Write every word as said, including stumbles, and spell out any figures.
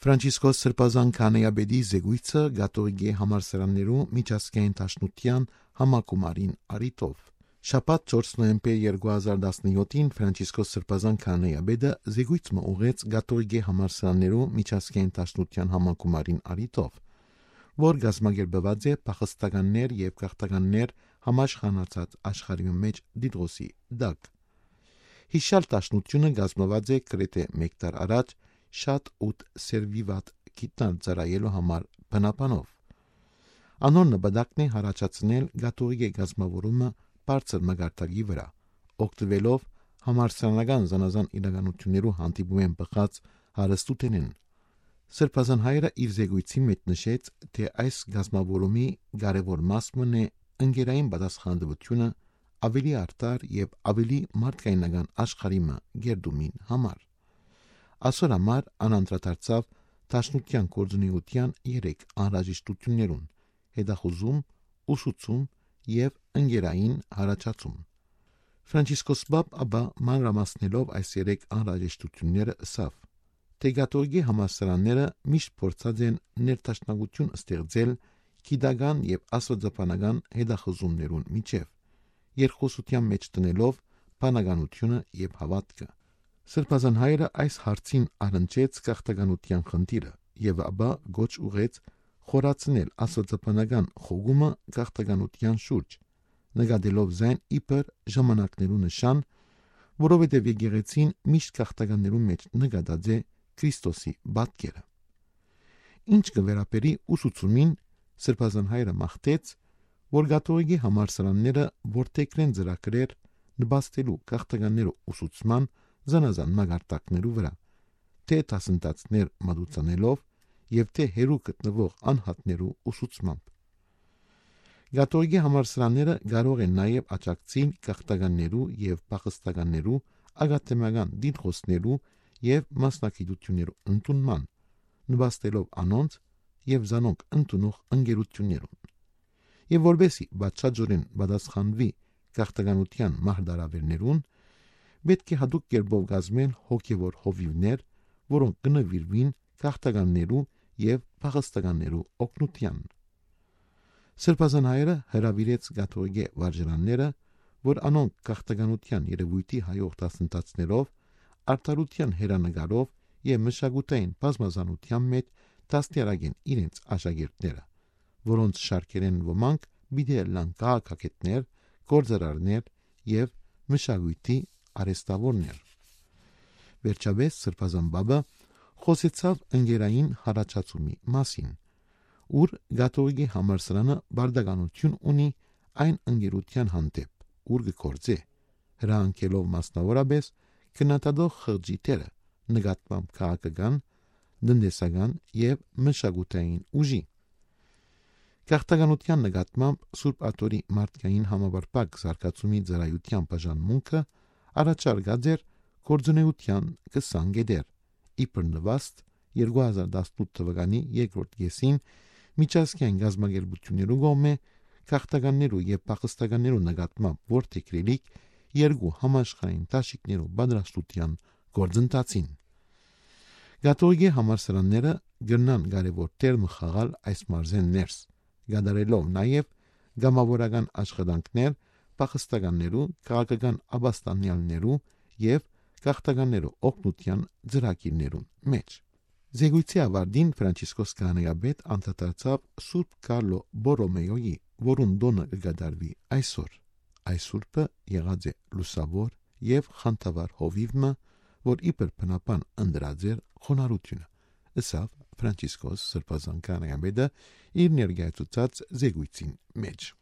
Ֆրանցիսկոս Սրբազան քահանայապետի զեկույցը Կաթողիկե համալսարաններու միջազգային դաշնության համակումարին առիթով Շաբաթ չորս նոյեմբեր երկու հազար տասնյոթին Ֆրանցիսկոս Սրբազան քահանայապետը զեկույց մը ուղղեց Կաթողիկե համալսարաններու միջազգային դաշնության համակումարին առիթով, որ գազմագերբված է փախստականներ եւ գաղթականներ համաշխարհացած աշխարհի մեջ դիդրոսի դակ։ Հիշալ դաշնությունը գազմված է գրեթե մեկ տար առաջ շատ ութ սերվիվատ գիտնալ ծրայելու համար բնապանով։ Անոր նպատակն է հարաճացնել Կաթողիկե գազմավորումը բարձր մագարտակի վրա, օգտվելով համալսարանական զանազան իրականություններու հանդիպում բխած հարստութենեն։ Սրբազան հայրը իր զեկույցի մեջ նշեց, թե այս գազմավորումի կարևոր մասն է ընկերային պատասխանատվությունը ավելի արտար եւ ավելի մարդկայնական աշխարհի մը գերդումին համար։ Այսօր համար անանդրադարձավ դաշնության գործունեության երեք անհրաժեշտություններուն՝ հետախուզում, ուսուցում եւ ընկերային հարաճացում։ Ֆրանցիսկոս Պապ ապա մանրամասնելով այս երեք անհրաժեշտությունները ասավ, թե Կաթողիկե համալսարանները միշտ փորձած են ներդաշնակություն ստեղծել գիտական եւ աստվածաբանական հետախուզումներուն միջև, երկխոսության մեջ տնելով բանականությունը եւ հավատքը։ Սրբազան հայրը այս հարցին առնչեց գաղթականության խնդիրը եւ ապա գոչ ուղեց խորացնել աստվածաբանական խոգումը գաղթականության շուրջ, նկատելով զայն իբր ժամանակներու նշան, որովհետեւ եկեղեցին միշտ գաղթականներու մեջ նկատած է Քրիստոսի պատկերը։ Ինչ կվերապերի ուսուցումին, Սրբազան հայրը մաղթեց, որ Կաթողիկե համալսարանները որթեքրեն ծրագրեր նպաստելու գաղթականներու ուսուցման զանազան մագարտակներու վրա, թե դասընթացներ մատուցանելով եւ թե հերու գտնվող անհատներու ուսուցմամբ։ Կաթողիկե համալսարանները կարող են նաեւ աջակցել գաղթականներու եւ փախստականներու ակադեմիական դիտխոսներու եւ մասնակցություններու ընդունման, նպաստելով անոնց եւ զանոնք ընդունող ընկերություններուն։ Եվ որբեսի բացաճորեն պատասխանվի գաղթականության մահդարավերներուն, պետք է հատուկ կերպով գազմել հոգևոր հովիվներ, որոնք կնվիրվին գաղթականներու եւ փախստականներու օգնության։ Սրբազան հայրը հրավիրեց Կաթողիկե վարժարանները, որ անոնք գաղթականության երևույթի հայող դասընթացներով, արդարության հերանեկարով եւ մշակութային բազմազանության մեջ դաստիարակեն իրենց աշակերտները, որոնց շարքերեն ոմանք պիտի լան քաղաքագետներ, գործարարներ եւ մշակույթի արեստավորներ։ Վերջապես Սրբազան Պապը խոսեցավ ընկերային հարաճացումի մասին, ուր Կաթողիկե համալսարանը բարդականություն ունի այն ընկերության հանդեպ, ուր գործե, հրահանգելով մասնավորապես քննադատող խղճիթերը նկատմամբ քաղաքական, տնտեսական եւ մշակութային ուժի։ Գաղթականության նկատմամբ Սուրբ Աթորի մարդկային համապարփակ զարգացումի ծառայության բաժանմունքը առաջարկած էր գործունեության քսան գետեր, իբր նվաստ երկու հազար տասնութ թվականի երկրորդ կեսին միջազգային գազագերբություններու կողմէ գաղթականներու եւ փախստականներու նկատմամբ որթեքրելիք երկու համաշխարհային դաշիկներու պատրաստության գործընթացին։ Կաթողիկե համալսարանները գտնան կարևոր դեր խաղալ այս մարզեն ներս, գդարելով նաեւ գամավորական աշխատանքներ փախստականներու, քաղաքական ապաստանյալներու եւ գաղթականներու օգնության ծրագիրներուն մեջ։ Զեկույցի ավարտին Ֆրանցիսկոս քահանայապետ անդրադարձավ Սուրբ Կարլո Բորոմեոյի, որուն դոնը կգադարվի այսօր։ Այս սուրբը եղած է լուսավոր եւ խանդավառ հովիվը, որ իբր բնապան ընդրած էր խոնարհությունը, ըսավ Ֆրանցիսկոս Սրբազան քահանայապետը իր ներկայացուցած զեկույցին մեջ։